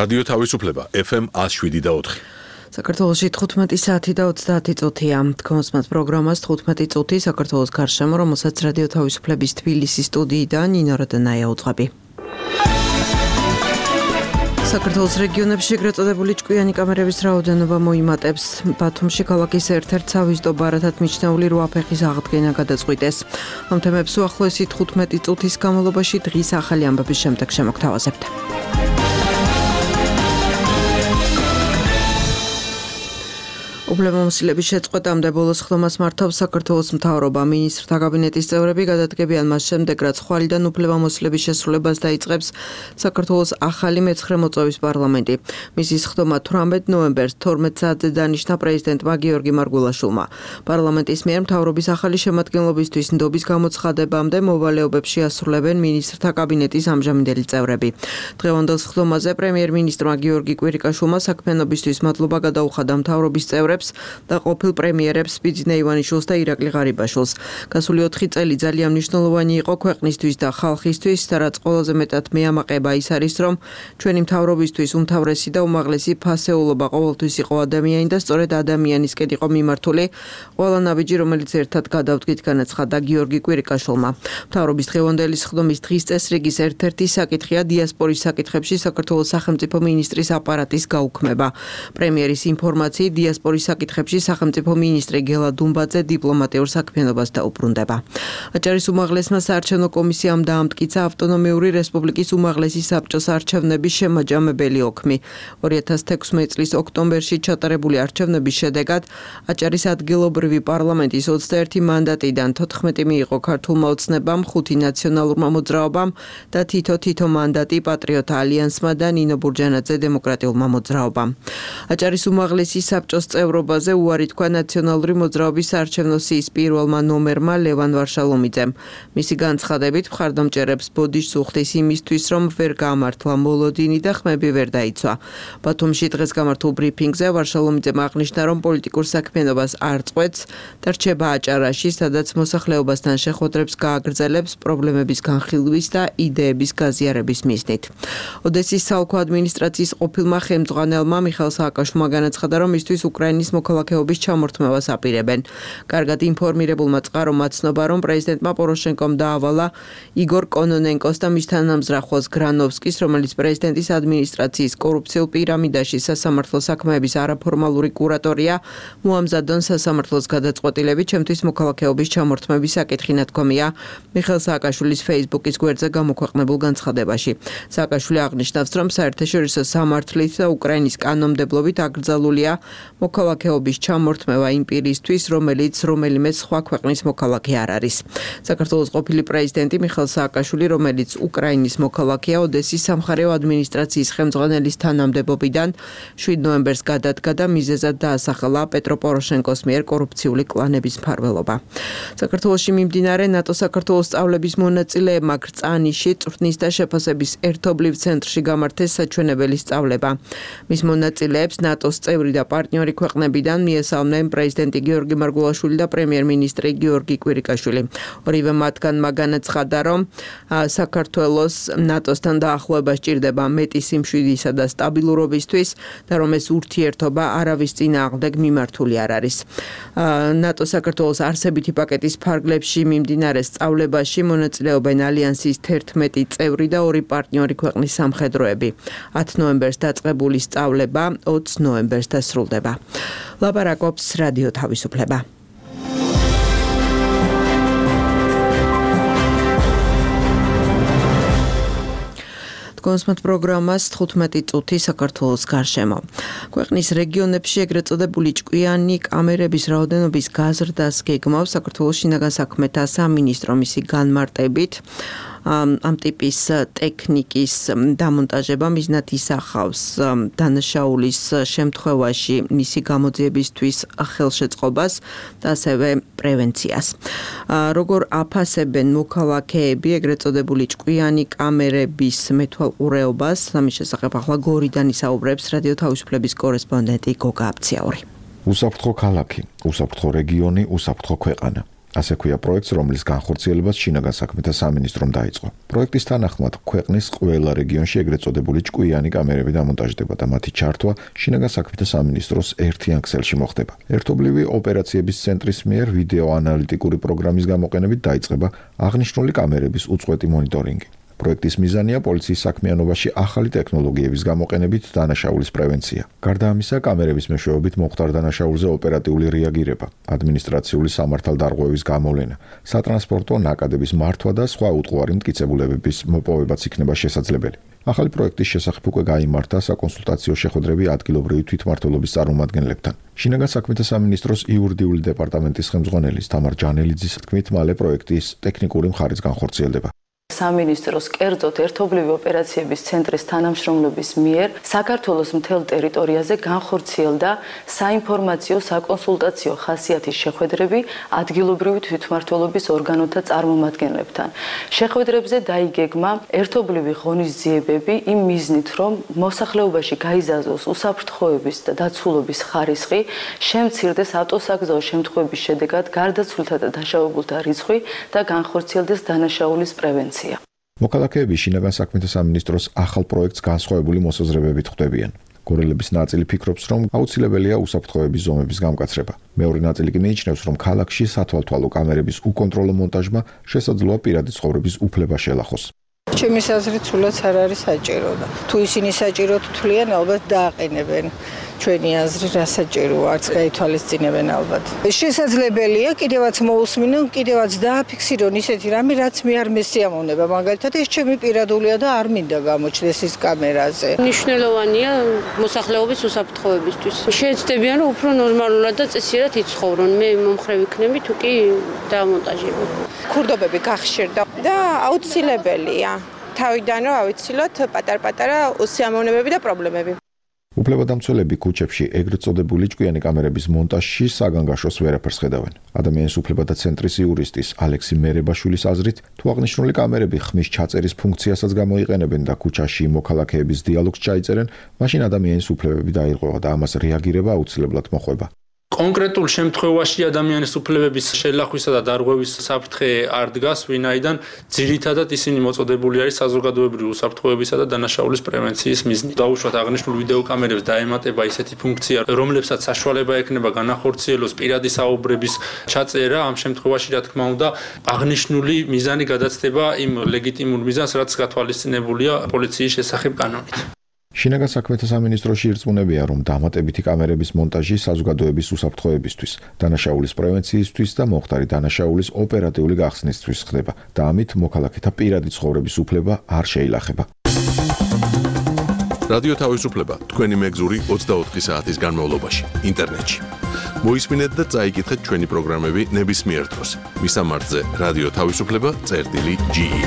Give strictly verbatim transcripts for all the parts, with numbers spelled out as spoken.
რადიო თავისუფლება ეფ ემ ათს შვიდი და ოთხი. საქართველოში თხუთმეტი საათი და ოცდაათი წუთია. თქოსმათ პროგრამას თხუთმეტი წუთი საქართველოს გარშემო, რომელსაც რადიო თავისუფლების თბილისის სტუდიიდან ნინო როდანაია უძღვები. საქართველოს რეგიონებში ეგრეთ წოდებული ჭკვიანი კამერების რაოდენობა მოიმატებს. ბათუმში ქალაქის ერთ-ერთ სავიზიტო ბარათად მიჩნეული რვა ფეხის აღდგენა გადაწყვიტეს. ამ თემებს უახლოესი თხუთმეტი წუთის განმავლობაში დღის ახალი ამბების შემდეგ შემოგთავაზებთ. უფლებამოსილების შეწყვეტამდე ბოლოს ხდომას მართავს საქართველოს მთავრობა. მინისტრთა კაბინეტის წევრები გადადგებიან მას შემდეგ, რაც ხვალიდან უფლებამოსილების შესრულებას დაიწყებს საქართველოს ახალი მეცხრე მოწვევის პარლამენტი. მისის ხდომა თვრამეტ ნოემბერს თორმეტ საათზე დანიშნა პრეზიდენტმა გიორგი მარგველაშვილმა. პარლამენტის მიერ მთავრობის ახალი შემადგენლობისთვის ნდობის გამოცხადებამდე მოვალეობებს შეასრულებენ მინისტრთა კაბინეტის ამჟამინდელი წევრები. დღევანდელ ხდომაზე პრემიერ-მინისტრმა გიორგი კვირიკაშვილმა საქმიანობისთვის მადლობა გადაუხადა მთავრობის წევრებს და ყოფილ პრემიერებს ბიძინა ივანიშვილს და ირაკლი ღარიბაშვილს. გასული ოთხი წელი ძალიან მნიშვნელოვანი იყო ქვეყნისთვის და ხალხისთვის და რაც ყველაზე მეტად მეამაყება ის არის, რომ ჩვენი მთავრობისთვის უმთავრესი და უმაღლესი ფასეულობა ყოველთვის იყო ადამიანი და სწორედ ადამიანისკენ იყო მიმართული ყველა ნაბიჯი, რომელიც ერთად გადავდგით, განაცხადა გიორგი კვირიკაშვილმა. მთავრობის დღევანდელი ხდომის დღის წესრიგის ერთ-ერთი საკითხია დიასპორის საკითხებში საქართველოს სახელმწიფო მინისტრის აპარატის გაუქმება. პრემიერის ინფორმაციით დიასპორის საკითხებში სახელმწიფო მინისტრი გელა დუმბაძე დიპლომატიურ საქმიანობას დაუბრუნდება. აჭარის უმაღლესმა საარჩევნო კომისიამ დაამტკიცა ავტონომიური რესპუბლიკის უმაღლესი საბჭოს არჩევნების შემაჯამებელი ოქმი. ორი ათას თექვსმეტი წლის ოქტომბერში ჩატარებული არჩევნების შედეგად აჭარის ადგილობრივი პარლამენტის ოცდაერთი მანდატიდან თოთხმეტი მიიღო ქართულმა ოცნებამ, ხუთი ნაციონალურმა მოძრაობამ და თითო-თითო მანდატი პატრიოტთა ალიანსმა და ნინო ბურჯანაძე დემოკრატიულმა მოძრაობამ. აჭარის უმაღლესი საბჭოს წევრობაზე უარი თქვა ნაციონალური მოძრაობის საარჩევნო სიის პირველმა ნომერმა ლევან ვარშალომიძემ. მისი განცხადებით მხარდამჭერებს ბოდიშს უხდის იმისთვის, რომ ვერ გამართლა მოლოდინი და ხმები ვერ დაიცვა. ბათუმში დღეს გამართულ ბრიფინგზე ვარშალომიძემ აღნიშნა, რომ პოლიტიკურ საქმიანობას არ წყვეტს და რჩება აჭარაში, სადაც მოსახლეობასთან შეხვედრებს გააგრძელებს პრობლემების განხილვის და იდეების გაზიარების მიზნით. ოდესის საოლქო ადმინისტრაციის ყოფილმა ხელმძღვანელმა მიხეილ სააკაშვილმა განაცხადა, რომ მისთვის უკრაინის მოქალაქეობის ჩამორთმევას აპირებენ. კარგად ინფორმირებულმა წყარომა ცნობა, რომ პრეზიდენტმა პოროშენკომ დაავალა იგორ კონონენკოს და მის თანამზრახველს გრანოვსკის, რომელიც პრეზიდენტის ადმინისტრაციის კორუფციულ პირამიდაში სასამართლო საქმეების არაფორმალური კურატორია, მოამზადონ სასამართლოს გადაწყვეტილებით ჩემთვის მოქალაქეობის ჩამორთმევის საკითხი ნათქვამია მიხეილ სააკაშვილის ფეისბუქის გვერდზე გამოქვეყნებულ განცხადებაში. სააკაშვილი აღნიშნავს, რომ საერთაშორისო სამართლით და უკრაინის კანონმდებლობით აკრძალულია მოქალაქეობის ჩამორთმევა იმ პირისთვის, რომელიც რომელიმე სხვა ქვეყნის მოქალაქე არ არის. საქართველოს ყოფილი პრეზიდენტი მიხეილ სააკაშვილი, რომელიც უკრაინის მოქალაქეა, ოდესის სამხარეო ადმინისტრაციის ხელმძღვანელის თანამდებობიდან შვიდ ნოემბერს გადადგა და მიზეზად დაასახელა პეტრო პოროშენკოს მიერ კორუფციული კლანების მფარველობა. საქართველოში მიმდინარე ნატო-საქართველოს სწავლების მონაწილეებმა კრწანიში წვრთნის და შეფასების ერთობლივ ცენტრში გამართეს საჩვენებელი სწავლება. მის მონაწილეებს ნატოს წევრი და პარტნიორი ქვეყნებიდან მიესალმნენ პრეზიდენტი გიორგი მარგველაშვილი და პრემიერ-მინისტრი გიორგი კვირიკაშვილი. ორივე მათგანმა განაცხადა, რომ საქართველოს ნატოსთან დაახლოება სჭირდება მეტი სიმშვიდისა და სტაბილურობისთვის და რომ ეს ურთიერთობა არავის წინააღმდეგ მიმართული არ არის. ნატო საქართველოს არსებითი პაკეტის ფარგლებში მიმდინარე სწავლებაში მონაწილეობენ ალიანსის თერთმეტი წევრი და ორი პარტნიორი ქვეყნის სამხედროები. ათი ნოემბერს დაწყებული სწავლება ოცი ნოემბერს დასრულდება. ლაპარაკობს რადიო თავისუფლება. კონსმათ პროგრამას თხუთმეტი წუთი საქართველოს გარშემო. ქვეყნის რეგიონებში ეგრეთ წოდებული ჭკვიანი კამერების რაოდენობის გაზრდას გეგმავს საქართველოს შინაგან საქმეთა სამინისტრო მისი განმარტებით. ამ ტიპის ტექნიკის დამონტაჟება მიზნად ისახავს დანაშაულის შემთხვევაში მისი გამოძიებისთვის ხელშეწყობას და ასევე პრევენციას. როგორ აფასებენ მოქალაქეები ეგრეთ წოდებული ჭკვიანი კამერების მეთვალყურეობას, ამის შესახებ ახლა გორიდან ისაუბრებს რადიო თავისუფლების კორესპონდენტი გოგა აბციაური. უსაფრთხო ქალაქი, უსაფრთხო რეგიონი, უსაფრთხო ქვეყანა. ასე ქვია პროექტს, რომლის განხორციელებას შინაგან საქმეთა სამინისტრომ დაიწყო. პროექტის თანახმად ქვეყნის ყველა რეგიონში ეგრეთ წოდებული ჭკვიანი კამერები დამონტაჟდება და მათი ჩართვა შინაგან საქმეთა სამინისტროს ერთიან ქსელში მოხდება. ერთობლივი ოპერაციების ცენტრის მიერ ვიდეო ანალიტიკური პროგრამის გამოყენებით დაიწყება აღნიშნული კამერების უწყვეტი მონიტორინგი. პროექტის მიზანია პოლიციის საქმიანობაში ახალი ტექნოლოგიების გამოყენებით დანაშაულის პრევენცია. გარდა ამისა, კამერების მეშვეობით მოხდარ დანაშაულზე ოპერატიული რეაგირება, ადმინისტრაციული სამართალდარღვევის გამოვლენა, სატრანსპორტო ნაკადების მართვა და სხვა უტყუარი მტკიცებულებების მოპოვებაც იქნება შესაძლებელი. ახალი პროექტის შესახებ უკვე გაიმართა საკონსულტაციო შეხვედრები ადგილობრივი თვითმმართველობის წარმომადგენლებთან. შინაგან საქმეთა სამინისტროს იურიდიული დეპარტამენტის ხელმძღვანელის თამარ ჯანელიძის თქმით, მალე პროექტის ტექნიკური მხარეც განხორციელდება. სამინისტროს კერძოდ ერთობლივი ოპერაციების ცენტრის თანამშრომლობის მიერ საქართველოს მთელ ტერიტორიაზე განხორციელდა საინფორმაციო საკონსულტაციო ხასიათის შეხვედრები ადგილობრივი თვითმმართველობის ორგანოთა წარმომადგენლებთან. შეხვედრებზე დაიგეგმა ერთობლივი ღონისძიებები იმ მიზნით, რომ მოსახლეობაში გაიზარდოს უსაფრთხოების და დაცულობის ხარისხი, შემცირდეს ავტოსაგზაო შემთხვევების შედეგად გარდაცვლილთა და დაშავებულთა რიცხვი და განხორციელდეს დანაშაულის პრევენცია. მოქალაქეები შინაგან საქმეთა სამინისტროს ახალ პროექტს განსხვავებული მოსაზრებებით ხვდებიან. გორელების ნაწილი ფიქრობს, რომ აუცილებელია უსაფრთხოების ზომების გამკაცრება. მეორე ნაწილი კი მიიჩნევს, რომ ქალაქში სათვალთვალო კამერების უკონტროლო მონტაჟმა შესაძლოა პირადი ცხოვრების უფლება შელახოს. ჩემის აზრით სულაც არ არის საჭირო და თუ ისინი საჭიროდ თვლიან, ალბათ დააყენებენ. ჩვენი აზრი რა საჭიროა, არც გაითვალისწინებენ ალბათ. შესაძლებელია კიდევაც მოусმინონ, კიდევაც დააფიქსირონ ისეთი რამე, რაც მე არ მესიამოვნება, მაგალითად ეს ჩემი პირადულია და არ მინდა გამოჩნდეს ის კამერაზე. მნიშვნელოვანია მოსახლეობის უსაფრთხოებისთვის. შეეცდებიან, რომ უფრო ნორმალურად და წესიერად იცხოვრონ. მე მომხრე ვიქნები, თუ კი დამონტაჟებენ. ქურდობები გახშირდა და აუცილებელია. თავიდან რომ ავიცილოთ პატარ-პატარა უსიამოვნებები და პრობლემები. უფლებადამცველები ქუჩებში ეგრეთ წოდებული ჭკვიანი კამერების მონტაჟში საგანგაშოს ვერაფერს ხედავენ. ადამიანის უფლებათა ცენტრის იურისტის ალექსი მერებაშვილის აზრით, თუ აღნიშნული კამერები ხმის ჩაწერის ფუნქციასაც გამოიყენებენ და ქუჩაში მოქალაქეების დიალოგს ჩაიწერენ, მაშინ ადამიანის უფლებები დაირღვევა და ამას რეაგირება აუცილებლად მოხვება. კონკრეტულ შემთხვევაში ადამიანის უფლებების შელახვისა და დარღვევის საფრთხე არ დგას, ვინაიდან ძირითადად ისინი მოწოდებული არის საზოგადოებრივი უსაფრთხოებისა და დანაშაულის პრევენციის მიზნით. დაუშვათ აღნიშნულ ვიდეო კამერებს დაემატება ისეთი ფუნქცია, რომლებსაც საშუალება ექნება განახორციელოს პირადი საუბრების ჩაწერა, ამ შემთხვევაში რა თქმა უნდა აღნიშნული მიზანი გადაცდება იმ ლეგიტიმურ მიზანს, რაც გათვალისწინებულია პოლიციის შესახებ კანონით. შინაგან საქმეთა სამინისტროში ირწმუნებია, რომ დამატებითი კამერების მონტაჟი საზოგადოების უსაფრთხოებისთვის, დანაშაულის პრევენციისთვის და მომხდარი დანაშაულის ოპერატიული გახსნისთვის ხდება და ამით მოქალაქეთა პირადი ცხოვრების უფლება არ შეილახება. რადიო თავისუფლება თქვენი მეგზური ოცდაოთხი საათის განმავლობაში ინტერნეტში. მოისმინეთ და წაიკითხეთ ჩვენი პროგრამები ნებისმიერ დროს. მისამართზე რადიო თავისუფლება წერტილი ჯი ი.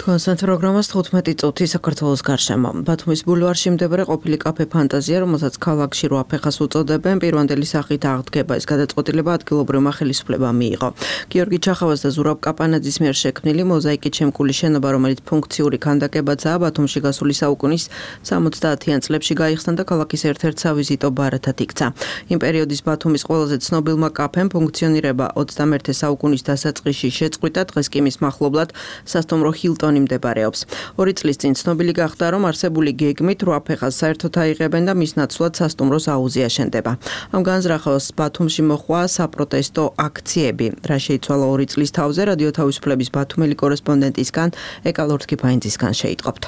კონსერტ პროგრამას თხუთმეტი წუთი საქართველოს გარშემო. ბათუმის ბულვარში მდებარე ყოფილი კაფე ფანტაზია, რომელსაც ქალაქში რვა ფეხას უწოდებენ, პირვანდელი სახით აღდგება. ეს გადაწყვეტილება ადგილობრივმა ხელისუფლებამ მიიღო. გიორგი ჩახავას და ზურაბ კაპანაძის მიერ შექმნილი მოზაიკით შემკული შენობა, რომელიც ფუნქციური ქანდაკებაცაა, ბათუმში გასული საუკუნის სამოცდაათიან წლებში გაიხსნა და ქალაქის ერთ-ერთ სავიზიტო ბარათად იქცა. იმ პერიოდის ბათუმის ყველაზე ცნობილმა კაფემ ფუნქციონირება ოცდამეერთე საუკუნის დასაწყისში შეწყვიტა, დღეს კი მის მახლობლად სასტუმრო ჰილტონი მდებარეობს. ორი წლის წინ ცნობილი გახდა, რომ არსებული გეგმით რვა ფეხას საერთოდ აიღებენ და მის ნაცვლად სასტუმროს აუზი აშენდება. ამ განზრახავს ბათუმში მოხდა საპროტესტო აქციები. რა შეიცვალა ორი წლის თავზე, რადიო თავისუფლების ბათუმელი კორესპონდენტისგან ეკა ლორთქიფაინძისგან შეიტყობთ.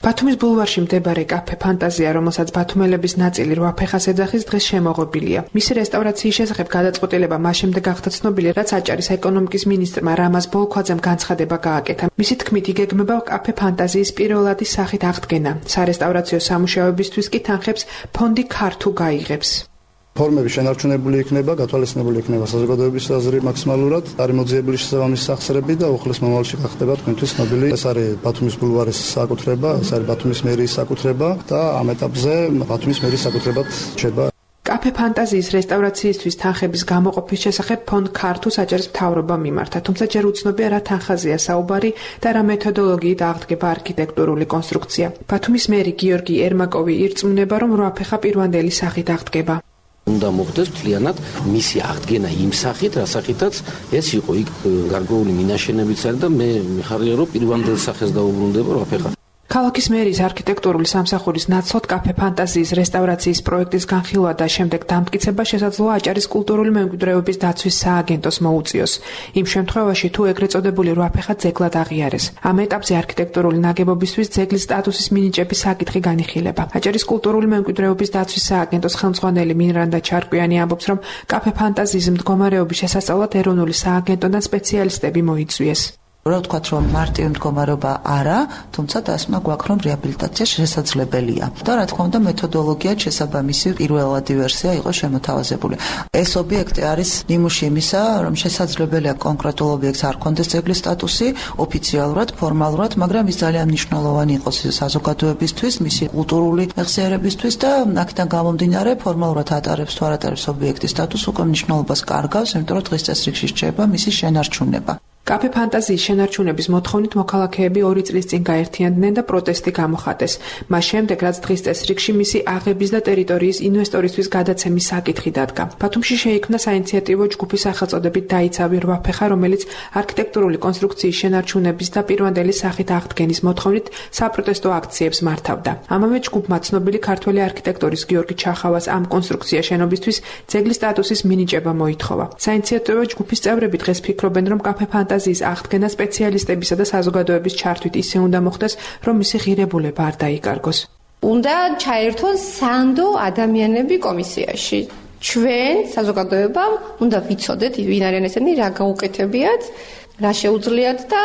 ბათუმის ბულვარში მდებარე კაფე ფანტაზია, რომელსაც ბათუმელების ნაწილი რვა ფეხას ეძახის, დღეს შემოღობილია. მისი რესტავრაციის შესახებ გადაწყვეტილება მას შემდეგ გახდა ცნობილი, რაც აჭარის ეკონომიკის მინისტრმა რამაზ ბოლქვაძემ განცხადება გააკეთა. მისი თქმით, იგეგმება კაფე ფანტაზიის პირველადი სახით აღდგენა. სარესტავრაციო სამუშაოებისთვის კი თანხებს ფონდი ქართუ გაიღებს. ფორმები შენარჩუნებული იქნება, გათვალისწინებული იქნება საზოგადოების აზრი მაქსიმალურად, არის მოძიებული შესაბამისი სახსრები და უხლის მომავალში გახდება თქვენთვის ცნობილი. ეს არის ბათუმის ბულვარის საკუთრება, ეს არის ბათუმის მერიის საკუთრება და ამ ეტაპზე ბათუმის მერიის საკუთრებად რჩება. კაფე ფანტაზიის რესტავრაციისთვის თანხების გამოყოფის შესახებ ფონდ ქართუ საჭირის მთავრობამ მიმართა, თუმცა ჯერ უცნობია რა თანხაზეა საუბარი და რა მეთოდოლოგიით აღდგება არქიტექტურული კონსტრუქცია. ბათუმის მერი გიორგი ერმაკოვი ირწმუნება, რომ რვა ფეხა პირვანდელი სახით აღდგება. უნდა მოხდეს მთლიანად მისი აღდგენა იმ სახით, რა სახითაც ეს იყო იქ გარკვეული მინაშენებიც არის და მე მიხარია რომ პირვანდელ სახეს დაუბრუნდება რაფეხა. ქალაქის მერის არქიტექტურული სამსახურის ნაცვლად კაფე ფანტაზიის რესტავრაციის პროექტის განხილვა და შემდეგ დამტკიცება შესაძლოა აჭარის კულტურული მემკვიდრეობის დაცვის სააგენტოს მოუწიოს. იმ შემთხვევაში თუ ეგრეთ წოდებული რვაფეხა ძეგლად აღიარეს. ამ ეტაპზე არქიტექტურული ნაგებობისთვის ძეგლის სტატუსის მინიჭების საკითხი განიხილება. აჭარის კულტურული მემკვიდრეობის დაცვის სააგენტოს ხელმძღვანელი მინრანდა ჩარკვიანი ამბობს, რომ კაფე ფანტაზიის მდგომარეობის შესასწავლად ეროვნული სააგენტოდან სპეციალისტები მოიწვიეს. რა ვთქვათ, რომ მარტივი მდგომარეობა არა, თუმცა დასმა გვაქვს, რომ რეაბილიტაცია შესაძლებელია. და რა თქმა უნდა, მეთოდოლოგია შესაბამისი პირველადი ვერსია იყო შემოთავაზებული. ეს ობიექტი არის ნიმუში იმისა, რომ შესაძლებელია კონკრეტულ objektს არ კონდეს ძეგლის სტატუსი ოფიციალურად, ფორმალურად, მაგრამ ის ძალიან მნიშვნელოვანი იყოს საზოგადოებისთვის, მისი კულტურული მეხსიერებისთვის და აქედან გამომდინარე ფორმალურად ატარებს თუ არ ატარებს ობიექტის სტატუსს, უკვე მნიშვნელობას კარგავს, იმიტომ რომ დღის წესრიგში რჩება მისი შენარჩუნება. კაფე ფანტაზიის შენარჩუნების მოთხოვნით მოქალაქეები ორი წლის წინ გაერთიანდნენ და პროტესტი გამოხატეს. მას შემდეგ, რაც დღის წესრიგში მისი აღების და ტერიტორიის ინვესტორისთვის გადაცემის საკითხი დადგა. ბათუმში შეიქმნა საინიციატივო ჯგუფი სახელწოდებით დაიცავი რვაფეხა, რომელიც არქიტექტურული კონსტრუქციის შენარჩუნების და პირვანდელი სახით აღდგენის მოთხოვნით საპროტესტო აქციებს მართავდა. ამავე ჯგუფმა ცნობილი ქართველი არქიტექტორის გიორგი ჩახავას ამ კონსტრუქცია შენობისთვის ძეგლის სტატუსის მინიჭება მოითხოვა. საინიციატივო ჯგუფის წევრები დღეს ფიქრობენ, რომ კაფე ფანტაზიის აღდგენა სპეციალისტებისა და საზოგადოების ჩართვით ისე უნდა მოხდეს, რომ მისი ღირებულება არ დაიკარგოს. უნდა ჩაერთონ სანდო ადამიანები კომისიაში. ჩვენ საზოგადოებამ უნდა ვიცოდეთ, ვინ არიან ესენი, რა გაუკეთებიათ, რა შეუძლიათ და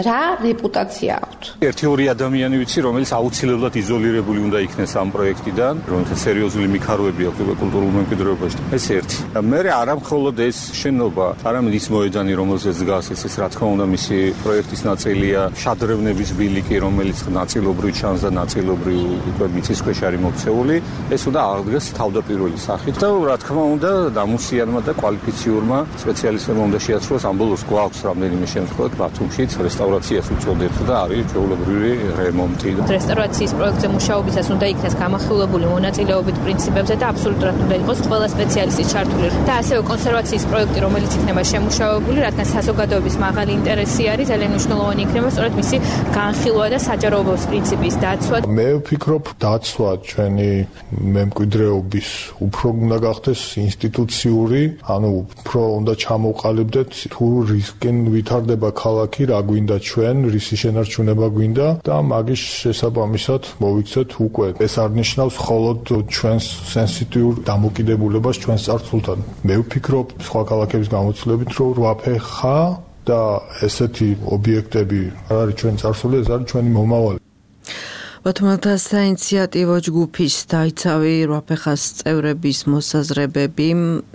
რა რეპუტაცია აქვთ. ერთი-ორი ადამიანი ვიცი, რომელიც აუცილებლად იზოლირებული უნდა იქნეს ამ პროექტიდან, რომელთაც სერიოზული მიქაროები აქვს კულტურულ მემკვიდრეობაში. ეს ერთი. მე არა მხოლოდ ეს შენობა, არამედ ის მოედანი, რომელზეც დგას, ეს რა თქმა უნდა მისი პროექტის ნაწილია, შადრევნების ბილიკი, რომელიც ნაწილობრივ ჩანს და ნაწილობრივ უკვე მიწისქვეშ არის მოქცეული, ეს უნდა აღდგეს თავდაპირველი სახით და რა თქმა უნდა დამუსიანმა და კვალიფიციურმა სპეციალისტებმა უნდა შეაცვლოს ამ ბოლოს გვაქვს რამდენიმე შემთხვევით ბათუმშიც რესტავრაციას უწოდებთ და არის ჩვეულებრივი რემონტი. რესტავრაციის პროექტზე მუშაობისას უნდა იქნეს გამახვილებული მონაწილეობით პრინციპებზე და აბსოლუტურად უნდა იყოს ყველა სპეციალისტი ჩართული. და ასევე კონსერვაციის პროექტი, რომელიც იქნება შემუშავებული, რადგან საზოგადოების მაღალი ინტერესი არის, ძალიან მნიშვნელოვანი იქნება სწორედ მისი განხილვა და საჯაროობის პრინციპის დაცვა. მე ვფიქრობ, დაცვა ჩვენი მემკვიდრეობის უფრო უნდა გახდეს ინსტიტუციური, ანუ უფრო უნდა ჩამოვყალიბდეთ თუ რისკენ ვითარდება ქალაქი, რა გვინდა ჩვენ, რისი შენარჩუნება გვინდა და მაგის შესაბამისად მოვიქცეთ უკვე. ეს არ ნიშნავს მხოლოდ ჩვენს სენსიტიურ დამოკიდებულებას ჩვენს წარსულთან. მე ვფიქრობ, სხვა ქალაქების გამოცდილებით, რომ რვაფეხა და ესეთი ობიექტები არ არის ჩვენი წარსული, ეს არის ჩვენი მომავალი. ბათუმელთა საინიციატივო ჯგუფის დაიცავი რვაფეხას წევრების მოსაზრებები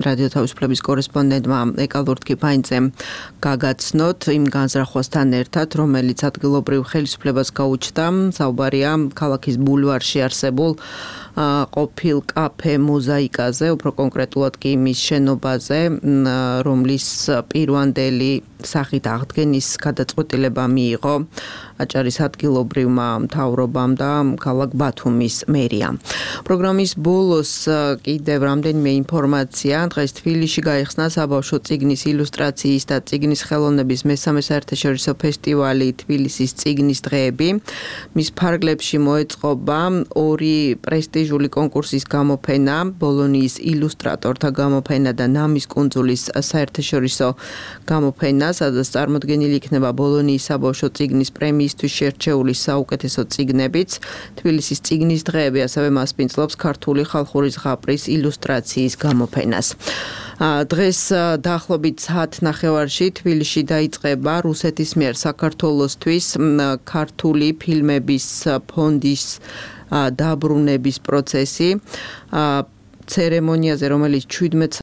რადიო თავისუფლების კორესპონდენტმა ეკალ ვორდკიფაინძემ გაგაცნოთ იმ განზრახვასთან ერთად, რომელიც ადგილობრივ ხელისუფლებას გაუჩნდა. საუბარია ქალაქის ბულვარში არსებულ ყოფილ კაფე მოზაიკაზე, უფრო კონკრეტულად კი იმის შენობაზე, რომლის პირვანდელი სახით აღდგენის გადაწყვეტილება მიიღო აჭარის ადგილობრივმა მთავრობამ და ქალაქ ბათუმის მერიამ. პროგრამის ბოლოს კიდევ რამდენიმე ინფორმაცია. დღეს თბილისში გაიხსნა საბავშვო წიგნის ილუსტრაციის და წიგნის ხელოვნების მესამე საერთაშორისო ფესტივალი თბილისის წიგნის დღეები. მის ფარგლებში მოეწყობა ორი პრესტიჟული კონკურსის გამოფენა, ბოლონიის ილუსტრატორთა გამოფენა და ნამის კუნძულის საერთაშორისო გამოფენა, სადაც წარმოდგენილი იქნება ბოლონიის საბავშვო წიგნის პრემიისთვის შერჩეული საუკეთესო წიგნებიც. თბილისის წიგნის დღეები ასევე მასპინძლობს ქართული ხალხური ზღაპრის ილუსტრაციის გამოფენას. დღეს დაახლოებით საათ ნახევარში თბილისში დაიწყება რუსეთის მიერ საქართველოსთვის ქართული ფილმების ფონდის დაბრუნების პროცესი. ცერემონიაზე, რომელიც ჩვიდმეტ